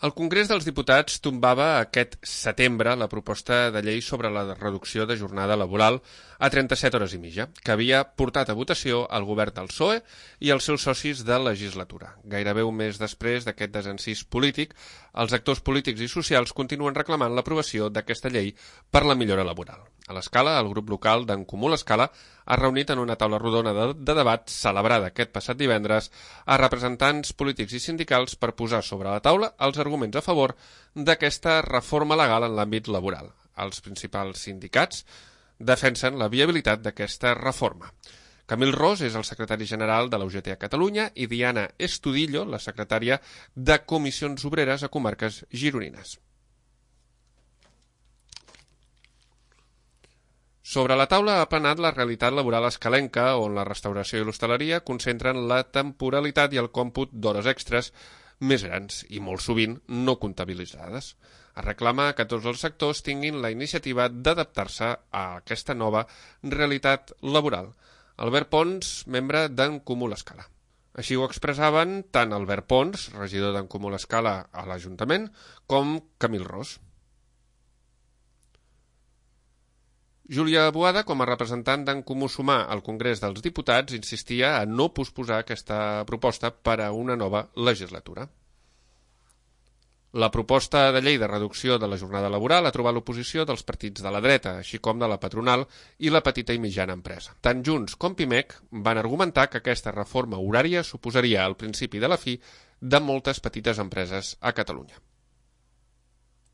El Congrés dels Diputats tombava aquest setembre la proposta de llei sobre la reducció de jornada laboral a 37 hores i mitja, que havia portat a votació el govern del PSOE i els seus socis de legislatura. Gairebé un mes després d'aquest desencís polític, els actors polítics i socials continuen reclamant l'aprovació d'aquesta llei per la millora laboral. A l'Escala, el grup local d'en Comú l'Escala ha reunit en una taula rodona de debat celebrada aquest passat divendres a representants polítics i sindicals per posar sobre la taula els arguments a favor d'aquesta reforma legal en l'àmbit laboral. Els principals sindicats defensen la viabilitat d'aquesta reforma. Camil Ros és el secretari general de la UGT a Catalunya i Diana Estudillo, la secretària de Comissions Obreres a comarques gironines. Sobre la taula ha planat la realitat laboral escalenca, on la restauració i l'hostaleria concentren la temporalitat i el còmput d'hores extres més grans i molt sovint no comptabilitzades. Es reclama que tots els sectors tinguin la iniciativa d'adaptar-se a aquesta nova realitat laboral. Albert Pons, membre d'en Comú l'Escala. Així ho expressaven tant Albert Pons, regidor d'en Comú l'Escala a l'Ajuntament, com Camil Ros. Júlia Boada, com a representant d'en Comú Sumar al Congrés dels Diputats, insistia a no posposar aquesta proposta per a una nova legislatura. La proposta de llei de reducció de la jornada laboral ha trobat l'oposició dels partits de la dreta, així com de la patronal i la petita i mitjana empresa. Tant Junts com Pimec van argumentar que aquesta reforma horària suposaria el principi de la fi de moltes petites empreses a Catalunya.